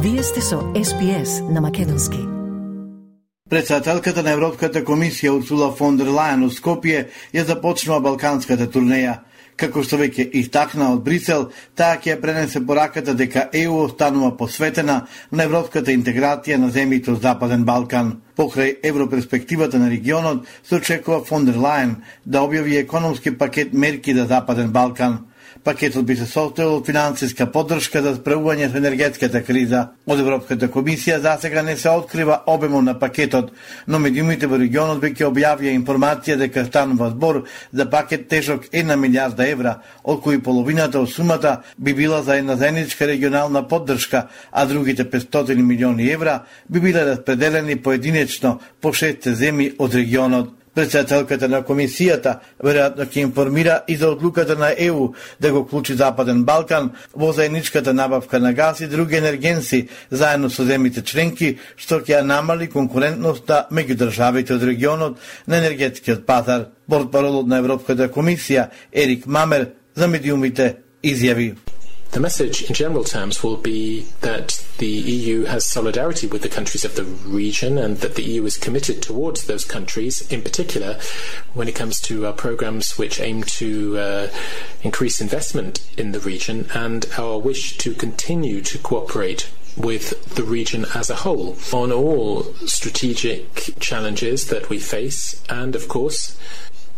Вие сте со SPS на македонски. Председателката на Европската комисија Урсула фон дер Лајен у Скопје ја започнува балканската турнеја. Како што веќе истакна од Брисел, таа ќе пренесе пораката дека ЕУ останува посветена на европската интеграција на земјите од Западен Балкан. Покрај европерспективата на регионот, се очекува фон дер Лајен да објави економски пакет мерки за Западен Балкан. Пакетот би се состоел од финансиска поддршка за справување со енергетската криза. Од Европската комисија засега не се открива обемот на пакетот, но медиумите во регионот веќе објавија информација дека станува збор за пакет тежок 1 милијарда евра, од кои половината од сумата би била за една заедничка регионална поддршка, а другите 500 милиони евра би биле распределени поединечно по 6 земји од регионот. Председателката на комисијата веројатно ќе информира и за одлуката на ЕУ да го вклучи Западен Балкан во заедничката набавка на газ и други енергенси заедно со земјите членки, што ќе намали конкурентноста меѓу државите од регионот на енергетскиот пазар. Портпаролот на Европската комисија Ерик Мамер за медиумите изјави: The message in general terms will be that the EU has solidarity with the countries of the region and that the EU is committed towards those countries, in particular when it comes to programs which aim to increase investment in the region, and our wish to continue to cooperate with the region as a whole on all strategic challenges that we face, and of course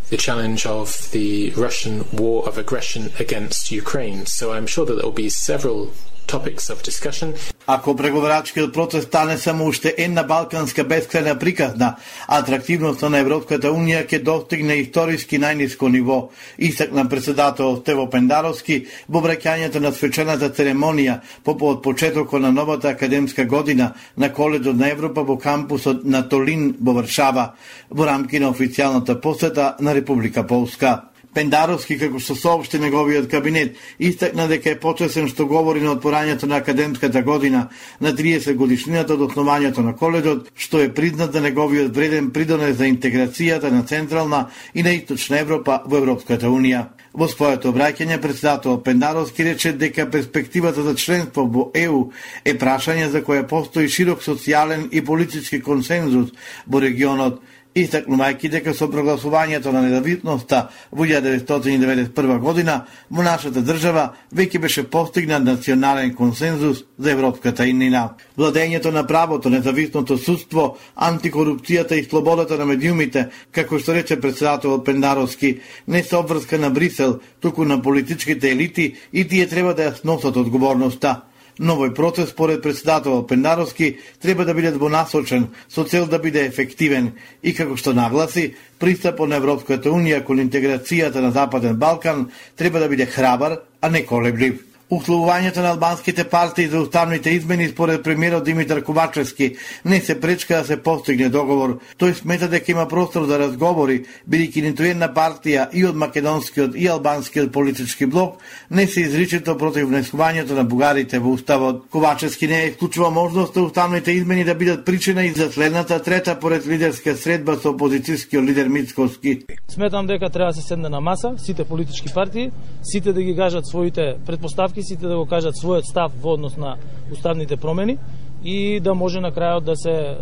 the challenge of the Russian war of aggression against Ukraine. So I'm sure that there will be several topics of discussion. Ако преговарачкиот процес стане само уште една балканска бескрајна приказна, атрактивноста на Европската унија ќе достигне историски најниско ниво, истакна председател Стево Пендаровски во враќањето на свечената церемонија по почетокот на новата академска година на Коледжот на Европа во кампусот на Толин во Варшава, во рамки на официјалната посета на Република Полска. Пендаровски, како што соопшти неговиот кабинет, истакна дека е почесен што говори на отворањето на академската година на 30 годишнината од основањето на коледжот, што е признат за неговиот вреден придонес за интеграцијата на Централна и на Источна Европа во Европската унија. Во своето обраќање, председател Пендаровски рече дека перспективата за членство во ЕУ е прашање за кое постои широк социјален и политички консензус во регионот, истакнувајќи дека со прогласувањето на независноста во 1991 година во нашата држава веќе беше постигнат национален консензус за европската иднина. Владењето на правото, независното судство, антикорупцијата и слободата на медиумите, како што рече председател Пендаровски, не се обврска на Брисел, туку на политичките елити и тие треба да ја сносат одговорноста. Новој процес, според председател Пендаровски, треба да биде двонасочен со цел да биде ефективен и, како што нагласи, пристапот на Европската унија кон интеграцијата на Западен Балкан треба да биде храбар, а не колеблив. Условувањето на албанските партии за уставните измени според премиерот Димитар Ковачевски не се пречка да се постигне договор. Тој смета дека има простор за разговори, бидејќи ниту една партија и од македонскиот и албанскиот политички блок не се изричито против внесувањето на бугарите во уставот. Ковачевски не исклучува можноста уставните измени да бидат причина и за следната трета поред лидерска средба со опозицијскиот лидер Мицковски. Сметам дека треба да се седне на маса сите политички партии, сите да ги кажат своите претпоставки, сите да го кажат својот став во однос на уставните промени и да може на крајот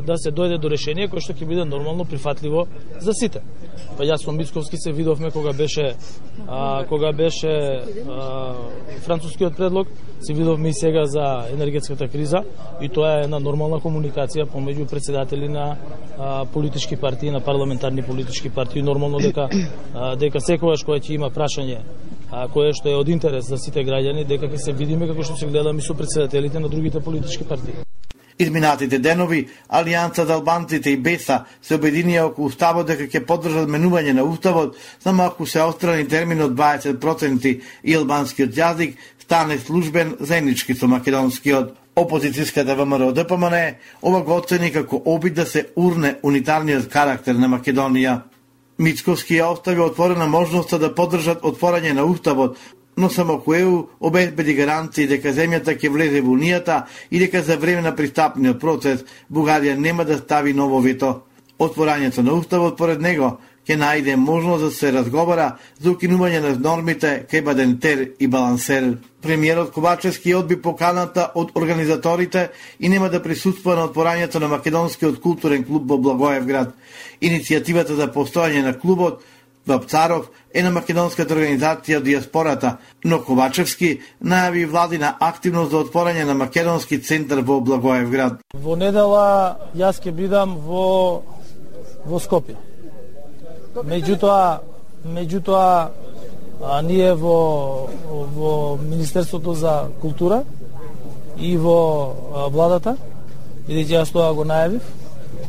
да се дојде до решение кој што ќе биде нормално прифатливо за сите. Па јас со Мицковски се видовме кога беше францускиот предлог, се видовме и сега за енергетската криза и тоа е една нормална комуникација помеѓу председатели на политички партии, на парламентарни политички партии. Нормално дека секогаш кога ќе има прашање кое што е од интерес за сите граѓани, дека ќе се видиме како што се гледаме со председателите на другите политички партии. Изминатите денови, Алијанса за албанците и БЕСА се обединија околу уставот дека ќе поддржат менување на уставот, само ако се острани терминот 20% и албанскиот јазик стане службен заеднички со македонскиот. Опозицијската ВМРО ДПМН ова го оцени како обид да се урне унитарниот карактер на Македонија. Мицковски ја остави отворена можноста да поддржат отворање на уставот, но само ЕУ обезбеди гаранции дека земјата ќе влезе во Унијата и дека за време на пристапниот процес Бугарија нема да стави ново вето. Отворањето на уставот, поред него, ќе најде можност да се разговара за укинување на нормите кај Бадентер и Балансер. Премиерот Ковачевски одби поканата од организаторите и нема да присуствува на отворањето на Македонскиот културен клуб во Благоевград. Иницијативата за постојање на клубот Вапцаров е на македонската организација од диаспората, но Ковачевски најави владина активност за отворање на македонски центар во Благоевград. Во недела јас ќе бидам во Скопје. Меѓутоа ние во Министерството за култура и во владата, бидејќи јас тоа го најавив,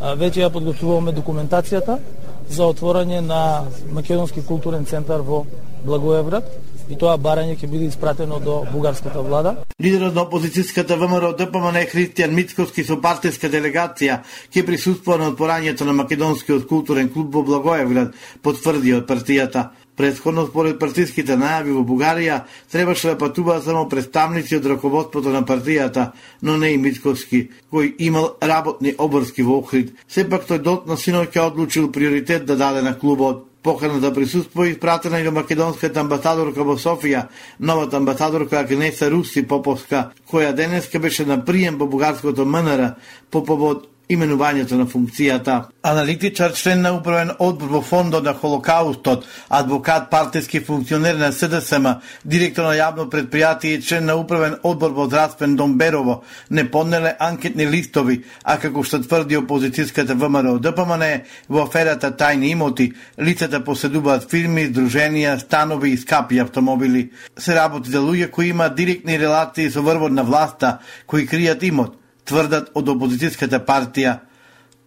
веќе ја подготвуваме документацијата за отворање на Македонски културен центар во Благоевград и тоа барање ќе биде испратено до бугарската влада. Лидерот на опозицијската ВМРО ДПМН Христијан Мицковски со партиска делегација ќе присуствува на отворањето на Македонскиот културен клуб во Благоевград, потврди од партијата. Претходно според партиските најави во Бугарија требаше да патуваат само представници од раководството на партијата, но не и Мицковски, кој имал работни обврски во Охрид. Сепак тој дотна синоќа одлучил приоритет да даде на клубот. Покана да присуствува испратена и до македонската амбасадорка во Софија, новата амбасадорка Агнеса Руси Поповска, која денеска беше на прием во бугарското МНР по повод именувањето на функцијата. Аналитичар, член на управен одбор во Фондот на Холокаустот, адвокат, партиски функционер на СДСМ, директор на јавно предпријатие и член на управен одбор во Здравствен дом Берово, не поднеле анкетни листови, а како што тврди опозицијската ВМРО ДПМН, во аферата тајни имоти, лицата поседуваат фирми, здруженија, станови и скапи автомобили. Се работи за луѓе кои имаат директни релации со врвот на власта, кои кријат имот, тврдат од опозицијската партија,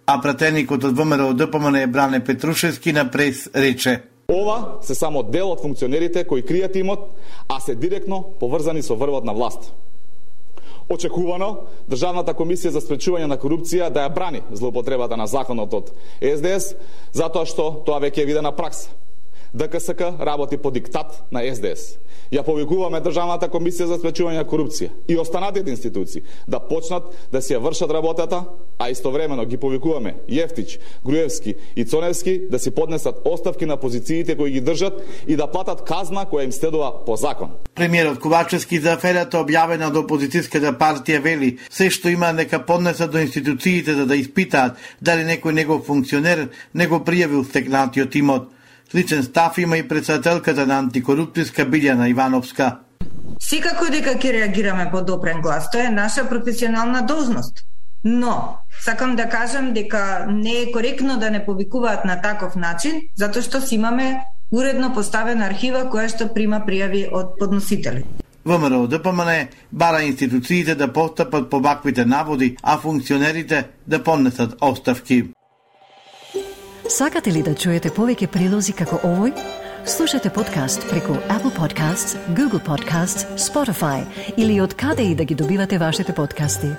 а пратеникот од ВМРО ДПМН Бране Петрушевски на прес рече: Ова се само дел од функционерите кои кријат имот, а се директно поврзани со врвот на власт. Очекувано, Државната комисија за спречување на корупција да ја брани злоупотребата на законот од СДС, затоа што тоа веќе е видена пракса. ДКСК работи по диктат на СДС. Ја повикуваме Државната комисија за спречување на корупција и останатите институции да почнат да си ја вршат работата, а истовремено ги повикуваме Јефтич, Груевски и Цоневски да си поднесат оставки на позициите кои ги држат и да платат казна која им следува по закон. Премиерот Ковачевски за аферата објавена од опозицијската партија вели: се што има нека поднесат до институциите за да испитаат дали некој негов функционер не го пријавил стекнатиот имот. Сличен став има и председателката на антикорупцијска Билјана Ивановска. Секако дека ќе реагираме по допрен глас, тоа е наша професионална должност. Но, сакам да кажам дека не е коректно да не повикуваат на таков начин, затоа што си имаме уредно поставена архива која што прима пријави од подносители. ВМРО ДПМН бара институциите да постапат по ваквите наводи, а функционерите да поднесат оставки. Сакате ли да чуете повеќе прилози како овој? Слушате подкаст преку Apple Podcasts, Google Podcasts, Spotify или од каде и да ги добивате вашите подкасти.